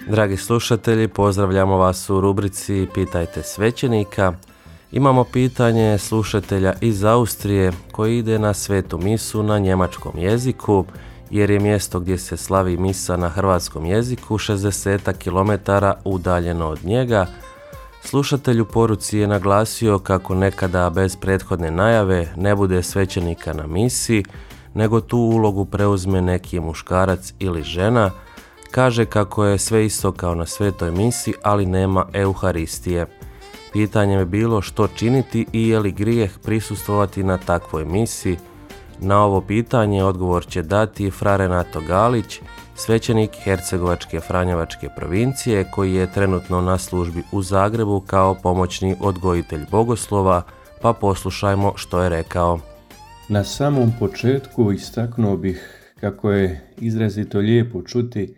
Dragi slušatelji, pozdravljamo vas u rubrici Pitajte svećenika. Imamo pitanje slušatelja iz Austrije koji ide na svetu misu na njemačkom jeziku, jer je mjesto gdje se slavi misa na hrvatskom jeziku 60 km udaljeno od njega. Slušatelj u poruci je naglasio kako nekada bez prethodne najave ne bude svećenika na misi, nego tu ulogu preuzme neki muškarac ili žena. Kaže kako je sve isto kao na svetoj misi, ali nema euharistije. Pitanje je bilo što činiti i je li grijeh prisustvovati na takvoj misi. Na ovo pitanje odgovor će dati fra Renato Galić, svećenik Hercegovačke Franjevačke provincije koji je trenutno na službi u Zagrebu kao pomoćni odgojitelj bogoslova, pa poslušajmo što je rekao. Na samom početku istaknuo bih kako je izrazito lijepo čuti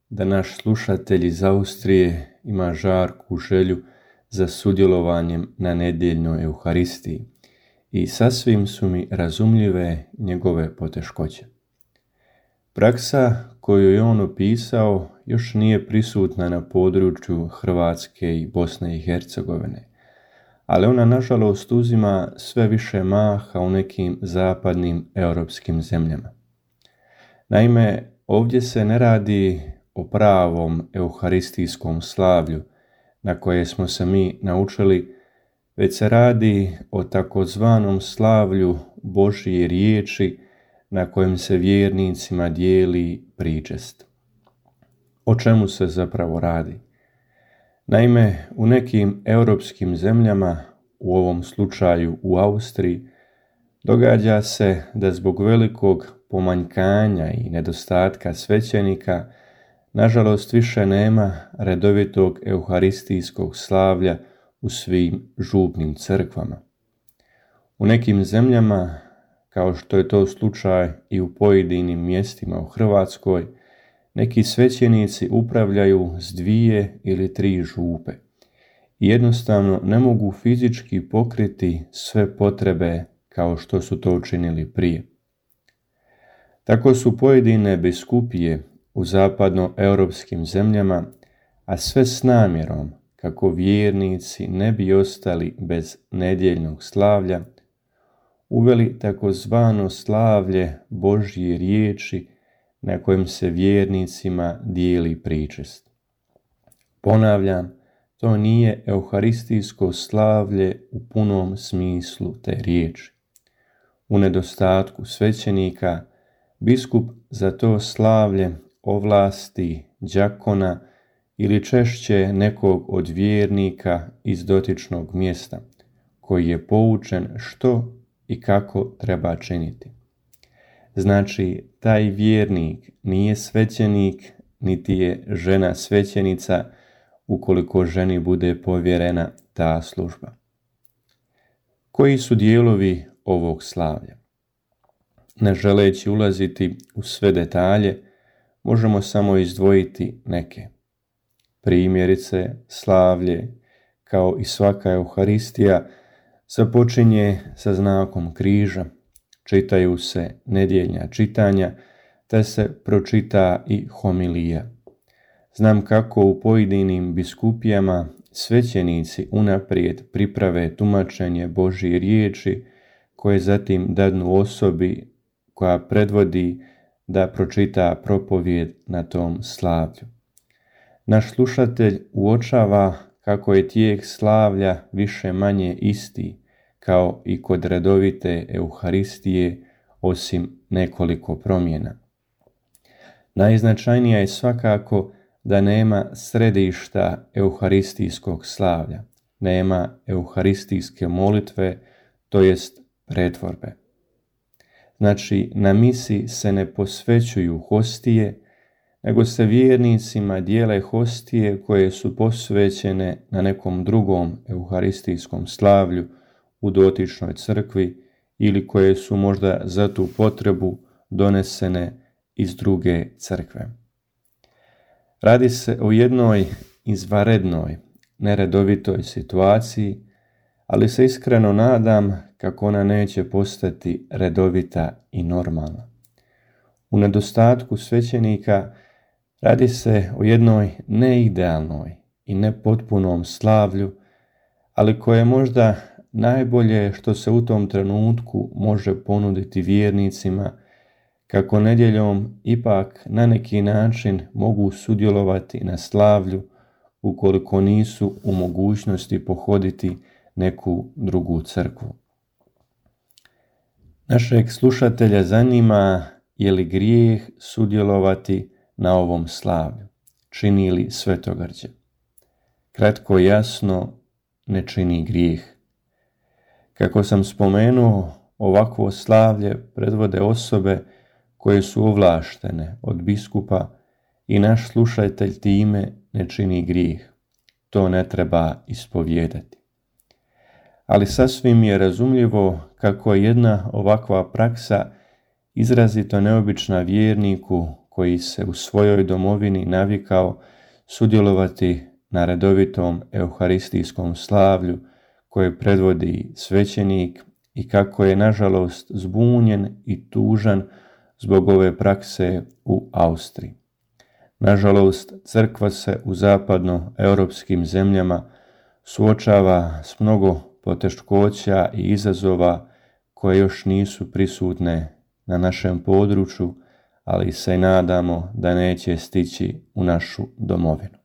da naš slušatelj iz Austrije ima žarku želju za sudjelovanjem na nedjeljnoj euharistiji i sasvim su mi razumljive njegove poteškoće. Praksa koju je on opisao još nije prisutna na području Hrvatske i Bosne i Hercegovine, ali ona nažalost uzima sve više maha u nekim zapadnim europskim zemljama. Naime, ovdje se ne radi o pravom euharistijskom slavlju na koje smo se mi naučili, već se radi o takozvanom slavlju Božje riječi na kojem se vjernicima dijeli pričest. O čemu se zapravo radi? Naime, u nekim europskim zemljama, u ovom slučaju u Austriji, događa se da zbog velikog pomanjkanja i nedostatka svećenika nažalost više nema redovitog euharistijskog slavlja u svim župnim crkvama. U nekim zemljama, kao što je to slučaj i u pojedinim mjestima u Hrvatskoj, neki svećenici upravljaju s 2 ili 3 župe i jednostavno ne mogu fizički pokriti sve potrebe kao što su to učinili prije. Tako su pojedine biskupije u zapadnoeuropskim zemljama, a sve s namjerom kako vjernici ne bi ostali bez nedjeljnog slavlja, uveli takozvano slavlje Božje riječi na kojem se vjernicima dijeli pričest. Ponavljam, to nije euharistijsko slavlje u punom smislu te riječi. U nedostatku svećenika, biskup za to slavlje ovlasti đakona ili češće nekog od vjernika iz dotičnog mjesta, koji je poučen što i kako treba činiti. Znači, taj vjernik nije svećenik, niti je žena svećenica, ukoliko ženi bude povjerena ta služba. Koji su dijelovi ovog slavlja? Ne želeći ulaziti u sve detalje, možemo samo izdvojiti neke. Primjerice, slavlje, kao i svaka euharistija, započinje sa znakom križa, čitaju se nedjeljna čitanja, te se pročita i homilija. Znam kako u pojedinim biskupijama svećenici unaprijed priprave tumačenje Božje riječi, koje zatim dadnu osobi koja predvodi da pročita propovijed na tom slavlju. Naš slušatelj uočava kako je tijek slavlja više manje isti, kao i kod redovite euharistije, osim nekoliko promjena. Najznačajnija je svakako da nema središta euharistijskog slavlja, nema euharistijske molitve, to jest pretvorbe. Znači, na misi se ne posvećuju hostije, nego se vjernicima dijele hostije koje su posvećene na nekom drugom euharistijskom slavlju u dotičnoj crkvi ili koje su možda za tu potrebu donesene iz druge crkve. Radi se o jednoj izvanrednoj, neredovitoj situaciji, ali se iskreno nadam kako ona neće postati redovita i normalna. U nedostatku svećenika Radi se o jednoj neidealnoj i nepotpunom slavlju, ali koje je možda najbolje što se u tom trenutku može ponuditi vjernicima, kako nedjeljom ipak na neki način mogu sudjelovati na slavlju ukoliko nisu u mogućnosti pohoditi neku drugu crkvu. Našeg slušatelja zanima je li grijeh sudjelovati na ovom slavlju, čini li svetogrđe. Kratko i jasno, ne čini grijeh. Kako sam spomenuo, ovakvo slavlje predvode osobe koje su ovlaštene od biskupa i naš slušatelj time ne čini grijeh. To ne treba ispovijedati. Ali sasvim je razumljivo kako je jedna ovakva praksa izrazito neobična vjerniku koji se u svojoj domovini navikao sudjelovati na redovitom euharistijskom slavlju koje predvodi svećenik i kako je nažalost zbunjen i tužan zbog ove prakse u Austriji. Nažalost, crkva se u zapadnoeuropskim zemljama suočava s mnogo poteškoća i izazova koje još nisu prisutne na našem području, ali se nadamo da neće stići u našu domovinu.